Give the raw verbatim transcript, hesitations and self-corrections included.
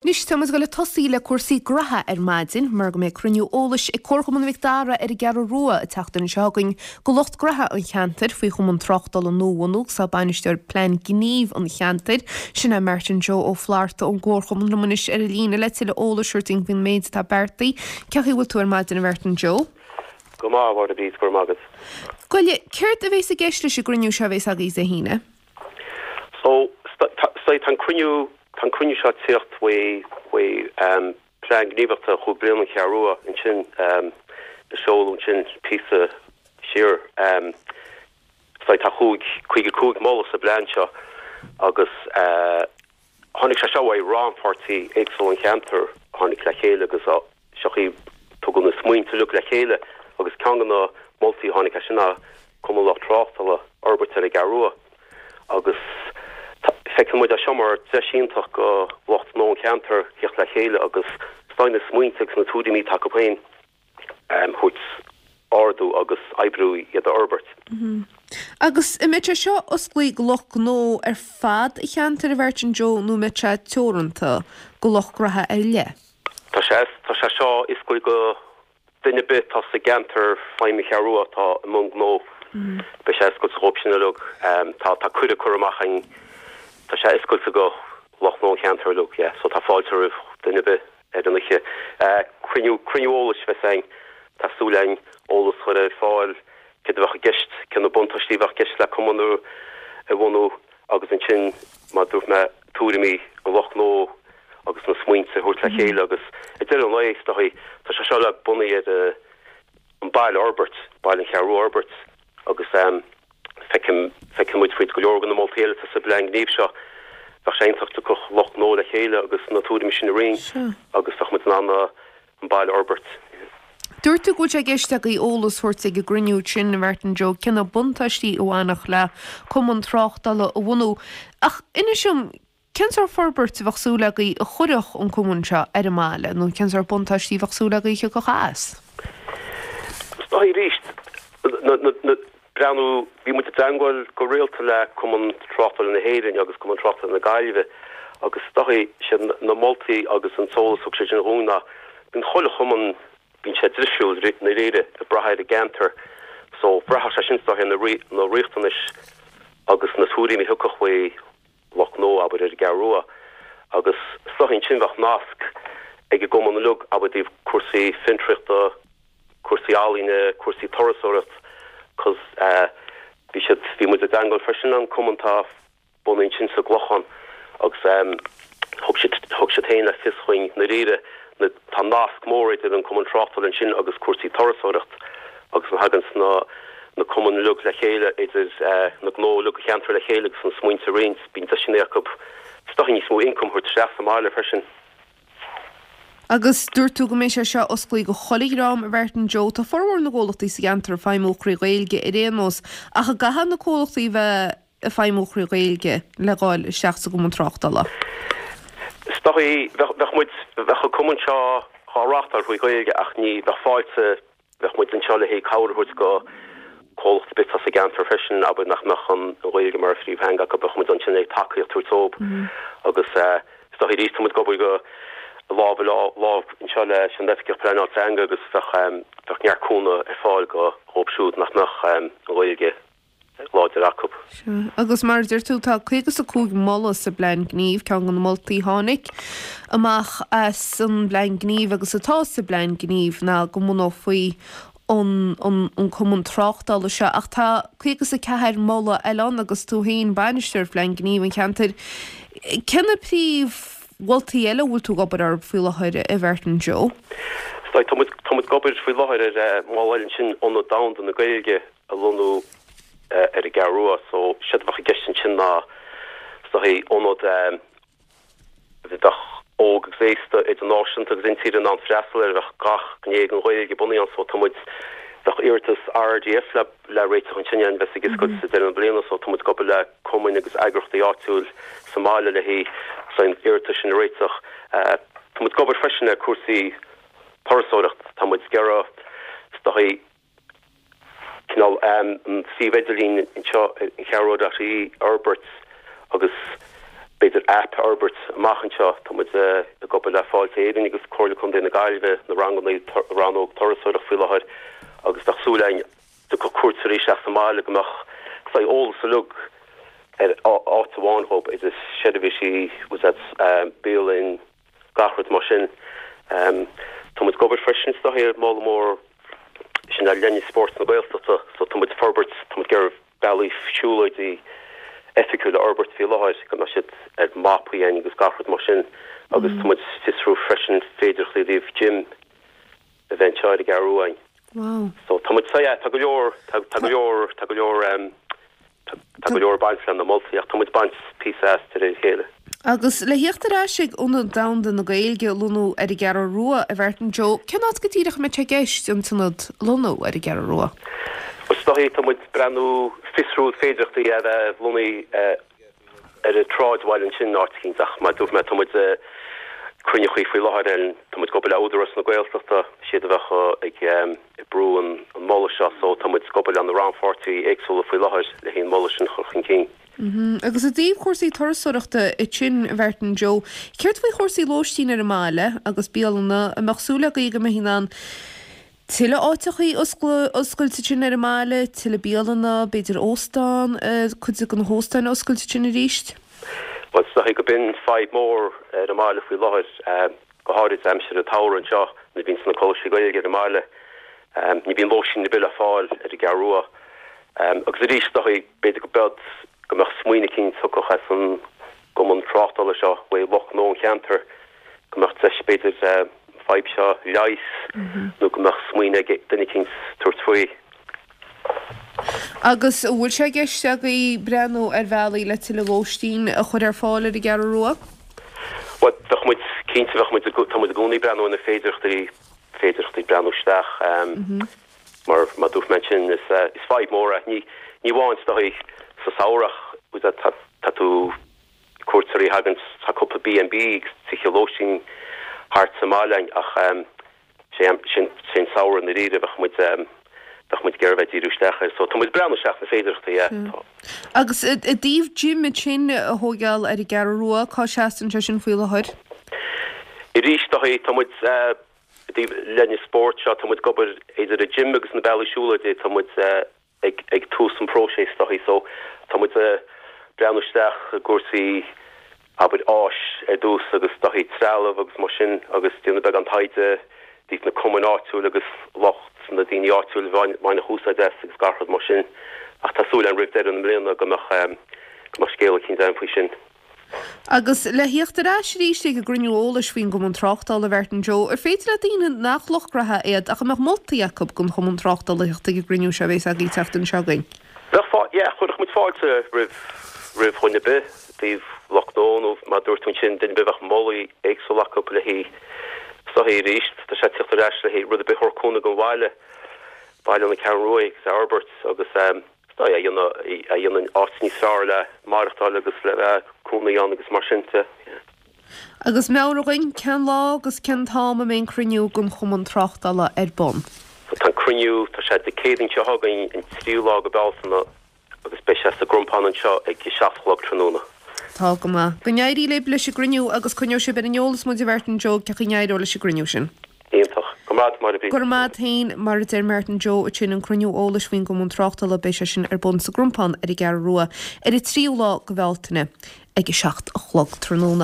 Anois tá muid ag dul ag tosaí le cúrsaí graithe ar maidin mar go mbeidh cruinniú eolais ag Comharchumann Mhic Dara ar an gCeathrú Rua an tseachtain seo chugainn go lucht graithe an cheantair faoi chumann tráchtála nua a bhunú agus tá bainisteoir plean gnímh an cheantair, sin é Martin Joe Ó Flatharta ón gComharchumann liom anois ar an líne le tuilleadh eolais a thabhairt dúinn faoin méid atá beartaithe. Cén chaoi a bhfuil tú ar maidin a Mhartin Joe? Go maith, a Mháire Bríd, go raibh maith agat. Gabh i leith, céard a bhéas i gceist leis an gcruinniú seo a bhéas agaibh Dé hAoine? So, tá an cruinniú Tá an cruinniú seo ag tíocht faoi faoi plean gníomhaíochta chúig bliana an Cheathrú Rua ansin a seoladh ansin píosa siar. Tá chúig caoga cúig moladh sa bplean seo agus tháinig sé seo uaidh rannpháirtí éagsúla an cheantair a tháinig le chéile agus seo í tugadh na smaointe uilig le chéile agus ceann de na moltaí a tháinig as sin ná Cumann Lucht Tráchtála a fhorbairt ar an gCeathrú Rua agus feiceann muid é seo mar deis iontach go lucht gnó an cheantair theacht le chéile agus is na smaointe agus na tuairimí atá acu féin a thabhairt ardú agus oibriú iad a fhorbairt. Agus an mbeidh sé seo osclaí go lucht gnó ar fad an cheantair a Mhartin Joe nó an mbeidh sé teoranta go lucht graithe ar leith? Tá sé tá sé seo osclaí go Duine ar bith atá sa gceantar feidhme Cheathrú Rua atá i mbun gnó, beidh sé oscailte dhóibh sin uilig. Tá tá cuireadh curtha amach againn, tá sé oscailte go lucht gnó an cheantair uilig, yeah, so tá fáilte roimh duine ar bith ar an oíche. Cruinniú cruinniú eolais a bheas againn, tá súil againn eolas a chur ar fáil, céard a bheadh i gceist, cé na buntáistí a bheadh i gceist le cumann a bhunú agus ansin, mar a dúirt mé, tuairimí an lucht gnó agus na smaointe a thabhairt le chéile agus ag deireadh an lae, is dóigh, tá sé seo uilig bunaithe ar an baile a fhorbairt, baile an Cheathrú Rua a fhorbairt agus feicim, feiceann muid fríd go leor de na moltaí eile atá sa bplean gnímh seo, bheadh sé iontach tiocfadh lucht gnó le chéile agus na tuairimí sin a roinnt agus bheadh muid in ann an baile a fhorbairt. Dúirt tú go bhfuil sé i gceist agaibh eolas a thabhairt ag an gcruinniú sin, a Mhartin Joe, cé na buntáistí a bhainfeadh le cumann tráchtála a bhunú. Ach inis dom, cén sórt forbairt a bheadh súil agaibh a chuirfeadh an cumann seo ar an mbaile, nó cén sórt buntáistí a bheadh súil agaibh a thiocfadh as? Is dóigh arís, na, breathnú, bhí muid i dteangmháil go rialta le Cumann Tráchtála na hÉireann agus Cumann Tráchtála na Gaillimhe agus is dóigh, siad na moltaí agus an t-eolas a thug siad sin dhúinn ná bíonn chuile chumann, bíonn sé difriúil i ndáiríre ag brath ar an gceantar so bhraithfeadh sé sin is dóigh ar na riachtanais agus na tuairimí a thiocfadh faoi lucht gnó, abair, ar an gCeathrú Rua agus is dóigh ansin bheadh nasc ag an gcumann uilig, abair, i dtaobh cúrsaí fiontraíochta, cúrsaí ealaíne, cúrsaí turasóireacht 'cause eh bhí siad, bhí muid i dteangmháil freisin le an cumann atá bunaithe ansin sa gClochán agus em thug siad, thug siad féin le fios dhúinn i ndáiríre na, tá nasc mór idir an cumann tráchtála ansin agus cúrsaí turasóireacht agus má thaganns na na cumainn uilig le chéile, idir na gnó uilig an cheantair le chéile agus na smaointe a roinnt, bíonn deiseanna acu is dóigh níos mó ioncam a thabhairt isteach sa mbaile freisin. Agus dúirt tú go mbeidh sé seo osclaí go chuile dhream, a Mhartin Joe. Tá formhór na gcomhlachtaí sa gceantar ag feidhmiú thrí Ghaeilge ar aon nós, ach an gcaithfidh na comhlachtaí bheith ag feidhmiú thrí Ghaeilge le dhul isteach sa gcumann tráchtála? Is dóigh, bheadh muid, bheadh an cumann seo dhá reáchtáil thrí Ghaeilge ach ní bheadh fáilte Bheadh muid anseo le haghaidh cabhair a thabhairt go comhlacht ar bith atá sa gceantar freisin, abair nach mbeadh an Ghaeilge mar phríomhtheanga acu, bheadh muid ansin ag tacaíocht a thabhairt dóibh agus is dóigh arís tá muid ag obair go lámh i lámh anseo leis an Oifigeach Pleanála Teanga agus bheadh bheadh neart cúnamh ar fáil go dhóibh siúd nach mbeadh an Ghaeilge láidir acu. Sea, agus mar a deir tú, tá caoga is a cúig moladh sa bPlean Gnímh, ceann de na moltaí a tháinig amach as an bPlean Gnímh agus atá sa bPlean Gnímh ná go mbunófaí an an cumann tráchtála seo ach tá caoga is a ceathair moladh eile ann agus tú féin bainisteoir Phlean Gnímh an cheantair. Cé na príomh mholtaí eile a bhfuil tú ag obair orthu faoi láthair a Mhartin Joe? Tá muid tá muid ag obair faoi láthair ar mholadh eile ansin, Ionad Domhanda na Gaeilge a lonnú ar an gCeathrú Rua so séard a bheadh i gceist ansin ná is dóigh ionad a bheadh óg agus aosta, idirnáisiúnta agus intíre in ann freastal air, bheadh gach gné den Ghaeilge bunaithe ann so tá muid, bheadh iarratas RDF le le réiteach ansin a bheas ag oscailt sa deireadh na bliana so tá muid ag obair le cumainn agus eagraíochtaí áitiúil sa mbaile le haghaidh an iarratas sin a réiteach. Tá muid ag obair freisin ar cúrsaí turasóireacht, tá muid ag iarraidh is dóigh cineál an suíomh idirlín anseo an Cheathrú Rua dot ie a fhorbairt agus b'fhéidir app a fhorbairt amach anseo. Tá muid ag obair le Fáilte Éireann agus Comhairle Contae na Gaillimhe, na ranganna rannóg turasóireacht faoi láthair agus bheadh súil againn go dtiocfadh cuairteoirí isteach sa mbaile go mbeadh saghas eolas uilig ar áit amháin dhób, idir seirbhísí, bialann, gach rud mar sin. Tá muid ag obair freisin is dóichí ar moladh mór sin ar leine spóirt na Gaeltachta so tá muid ag forbairt, tá muid ag iarraidh bealaí siúlóidí oifigiúil a fhorbairt faoi láthair, go mbeadh siad ar mapaí againn agus gach rud mar sin agus tá muid ag fiosrú freisin féidearthachtaí i dtaobh gym a bheith anseo ar an gCeathrú Rua. Wow. So tá muid, so yeah, tá go leor, tá tá go leor, tá go leor um, tá go leor baint le na moltaí ach tá muid ag baint píosa as de réir a chéile. Agus le theacht ar ais ag Ionad Domhanda na Gaeilge a lonnú ar an gCeathrú Rua, a Mhartin Joe, cén áit go díreach a mbeidh sé i gceist an t-ionad a lonnú ar an gCeathrú Rua? Is dóichí tá muid ag breathnú fiosrú féidearthachtaí a bheith lonnaithe ar an tsráidbhaile ansin áit eicínt ach mar a dúirt mé tá muid ag cruinniú faoi láthair ann, tá muid ag obair le Údarás na Gaeltachta, siad a bheadh ag brú an moladh seo so tá muid ag obair le na rannpháirtithe éagsúla faoi láthair le haghaidh an moladh sin a chur chun cinn. Agus i dtaobh chúrsaí turasóireachta ansin, a Mhartin Joe, céard faoi chúrsaí lóistín ar an mbaile agus bialanna, an mbeadh súil agaibh go mbeidh in ann tuilleadh áiteachaí oscailte ansin ar an mbaile, tuilleadh bialanna, b'fhéidir óstán, cuid de na hóstáin a oscailt ansin arís? Bhuel, is dóichí go b'in fadhb mór ar an mbaile faoi láthair, go háirid aimsir an tsamhraidh anseo nuair a bhíonns na coláistí Gaeilge ar an mbaile. Ní bhíonn lóistín ar bith le fáil ar an gCeathrú Rua. Agus arís, is dóichí, b'fhéidir go bead go mbeadh smaoineamh eicínt tugtha as an gcumann tráchtála seo uaidh lucht gnó an cheantair, go mbeadh deis b'fhéidir an fadhb seo a leigheas nó go mbeadh smaoineamh ag duine eicínt tabhairt faoi. Agus an bhfuil sé i gceist agaibh breathnú ar bhealaí le tuilleadh lóistín a chur ar fáil ar an gCeathrú Rua? Bhuel, bheadh muid, cinnte, bheadh muid, tá muid i gcónaí ag breathnú ar na féidearthachtaí, féidearthachtaí breathnú isteach. Mar, mar a dúirt mé ansin, is, is fadhb mór é. Ní, ní amháin is dóichí sa samhradh ach, tá, tá tú, cuairteoirí a thagann, tá cúpla B and B agus tithe lóistín thart sa mbaile againn ach sé sin sé an samhradh i ndáiríre bheadh muid bheadh muid ag iarraidh bheith ag díriú isteach air. So tá muid ag breathnú isteach na féidearthachtaí, yeah. Tá. Agus i dtaobh gym ansin a thóigeáil ar an gCeathrú Rua, cá seasann sé sin faoi láthair? Arís, tá tá muid i dtaobh leine spóirt seo, tá muid ag obair idir an gym agus na bealaí siúlóide, tá muid ag ag tús an próiseas is dóichí so tá muid ag breathnú isteach i gcúrsaí abair áis ar dtús agus is dóichí trealamh agus mar sin agus déanamh beagán taighde i dtaobh na cumainn áitiúil agus lucht na daoine áitiúil a bhainfeadh úsáid as agus gach rud mar sin ach tá súil againn roimh deireadh na mbliana go mbeadh go mbeadh scéal eicínt againn faoi sin. Agus le theacht ar ais arís ag an gcruinniú eolais faoin gCumann Tráchtála, a Mhartin Joe, ar féidir le daoine nach lucht gnaithe iad ach a mbeadh moltaí acu don Chumann Tráchtála theacht ag an gcruinniú seo a bheas agaibh an tseachtain seo chugainn? Bheadh fá, yeah, chuirfeadh muid fáilte roimh, roimh dhuine ar bith, i dtaobh lucht gnó nó mar a dúirt tú ansin, duine ar bith a bheadh molaí éagsúla acu le haghaidh, is dóichí arís, tá sé ag teacht ar ais le haghaidh rud ar bith a thabharfadh cúnamh don bhaile, baile na Ceathrún Rua agus a fhorbairt agus eh, a dhéanann áit níos fearr le maireachtáil agus le bheith cónaí ann agus mar sin de. Agus meabhraigh dhúinn, cén lá agus cén t-am a mbeidh an cruinniú den Chumann Tráchtála ar bun? So tá an cruinniú, tá sé Dé Céadaoin seo chugainn, an tríú lá de Bealtaine agus beidh sé sa gCrompán anseo ag a seacht a chlog tráthnóna. Tá go maith. Go n-éirí libh leis an gcruinniú agus coinneoidh sibh ar an eolas muid a Mhartin Joe cén chaoi a n-éireoidh leis an gcruinniú sin. Iontach. Go raibh maith agat, Máire. Go raibh maith agat féin. Mar a deir Martin Joe ansin, an cruinniú eolais faoin gCumann Tráchtála, beidh sé sin ar bun sa gCrompán ar an gCeathrú Rua ar an tríú lá de Bhealtaine ag a seacht a chlog tráthnóna.